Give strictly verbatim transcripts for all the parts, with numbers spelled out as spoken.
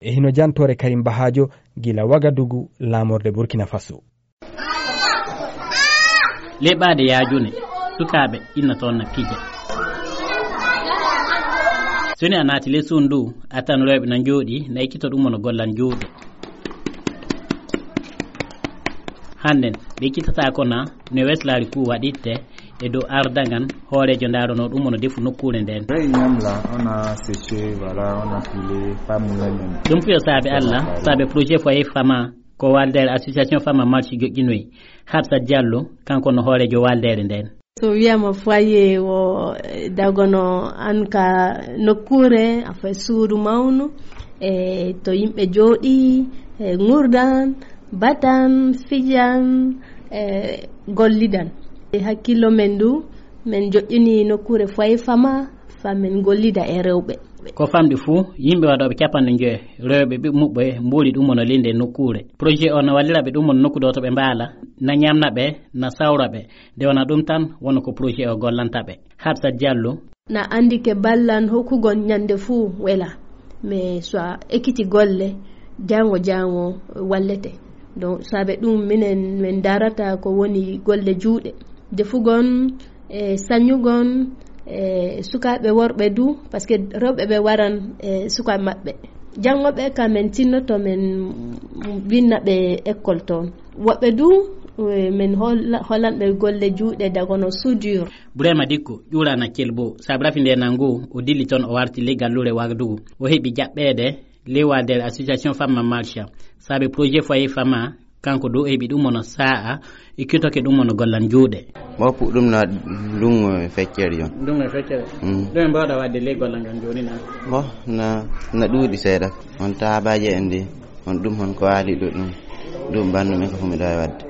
E hino jantoore Karim Bahajo gila Wagadugu, laamorde Burkina Faso. Leɓaade yaajune, sukaaɓe inna toon na pija. So ni a naati ley suudu ndu, a tan rewɓe na njooɗii, na ekkito ɗum wano gollan juuɗe. Hannden, ɓe ekkitataa ko na no weslaari kuu waɗitte e dow ardaŋan hooreejo ndaaronoo ɗum wano defu nokkuure ndeen. Là, on a séché, voilà, on a pilé, pas moulé même. Ɗum fiyo saabe Alla, saabe projet Foyer Fama, ko waldeere association Fama Marche joƴƴinoyi. Hafsat Diallo, kanko no hooreejo waldeere ndeen. So wiyama foyer o, eh, dagono an ka nokkuure, a fay suudu mawnu, e to yimɓe jooɗi, e ngurdan, batan, fijan, e gollidan. E hakkillo men du, men joƴƴini nokkuure Foyer Fama, fa men gollida e rewɓe. Ko famɗi fuu, yimɓe waɗooɓe capanɗe njoyo, rewɓe ɓiɓɓe muɓɓe, mbuuli ɗum wano linde nokkuure. Projet o na wallira ɓe ɗum wano nokku ɗo to ɓe mbaala, na ñamna ɓe, na sawra ɓe. Nde wona ɗum tan, wano ko projet o gollanta ɓe. Hafsat Diallo. Na anndi ke ballan hokkugol ñande fuu wela. Mais so a ekkiti golle, jaango jaango wallete. Donc, saabe ɗum minen min darata ko woni golle juuɗe. Defugol, e sañugol, e sukaaɓe worɓe du, parce que rewɓe ɓe waran e sukaaɓe maɓɓe. Janngo ɓe ka men tinnoto men winna ɓe école toon. Woɓɓe du, e, men holla-, hollan ɓe golle juuɗe dagono soudure. Burema Dikko, ƴuurana Kelbo, saabe rafi nde nangu, o dilli toon o warti ley galluure Wagadugu. O heɓi jaɓɓeede ley waldeere association Fama Marcha. Saabe projet Foyer Fama, kanko du o heɓi ɗum wano saa'a, e kitoke ɗum wano gollan juuɗe. Mo puɗɗum na lungo e feccere yon. Lungo e feccere? Mm. Ɗum en mbawɗa waɗde ley gollan ngan jooni na? Mo na, na ɗuuɗi seeɗa. On taabaaje en ndi, on ɗum hon ko waali ɗo ɗum. Ɗum bandu men ko fuu mi ɗo e waɗde.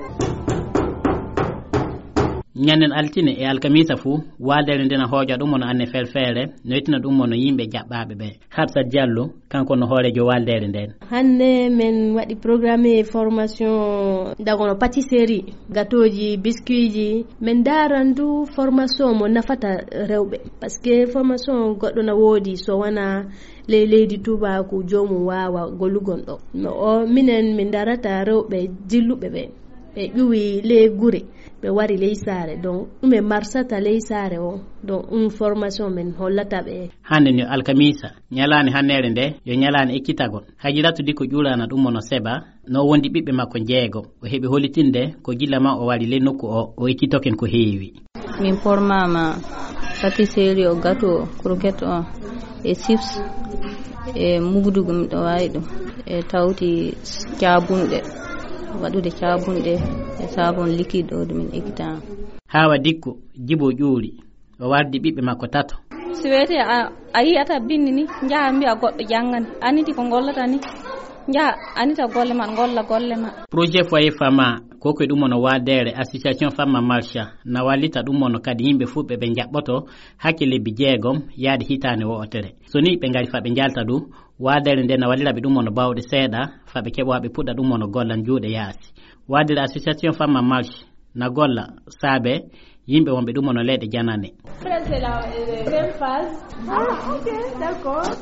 Ñannen altine e alkamiisa fuu, waaldere nden na hooja ɗum wano anne ferfeere, no yettina ɗum wano yimɓe jaɓɓaaɓe ɓe. Hafsat Diallo, kanko no hooreejo waaldere nden. Hannde men waɗi programme formation dagono pâtisserie, gâteauji, biscuitji. Men daaran du formation mo nafata rewɓe. Parce que formation goɗɗo na woodi so wona ley leydi Tuubaaku joomum waawa gollugol ɗo. No o minen min darata rewɓe dilluɓe ɓe. Ɓe ƴuwi ley gure, ɓe wari ley saare. Donc, ɗum e marsata ley saare o. Donc, ɗum formation men hollata ɓe. Hannde no alkamiisa, ñalaande hannere nde, yo ñalaande ekkitagol. Hajiratu Dikko ƴuurana ɗum wano Seba, no wondi ɓiɓɓe makko jeego. O heɓi hollitinde ko gila ma o wari ley nokku o, o ekkitoken ko heewi. Min pormaama pâtisserie o, gâteau o, croquette o, e chips, e mugudugu miɗo waawi ɗum, e tawti caabunɗe, waɗude caabunɗe, e savon liquide o ɗum min ekkitaa. Haawa Dikko, Jibo ƴuuri, o wardi ɓiɓɓe makko tato. Si weeti a, a yiyata binndi ni, njaha mbiya goɗɗo janngani, aniti ko ngollata ni, njaha anita golle ma, ngolla golle ma. Projet Foyer Fama, ko ko ɗum wano waadere association Fama Marcha, na wallita ɗum wano kadi yimɓe fuu ɓe ɓe njaɓɓoto hakke lebbi jeegom yaade hitaande wo'otere. So ni ɓe ngari fa ɓe njalta du, waadere nde na wallira ɓe ɗum wano bawɗe seeɗa, fa ɓe keɓa ɓe puɗɗa ɗum wano gollan juuɗe yaasi. Waadere association Fama Marche na golla saabe yimɓe wonɓe ɗum wano leyɗe janane.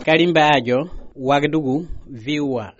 Karim Baajo, Wagadugu, V O A.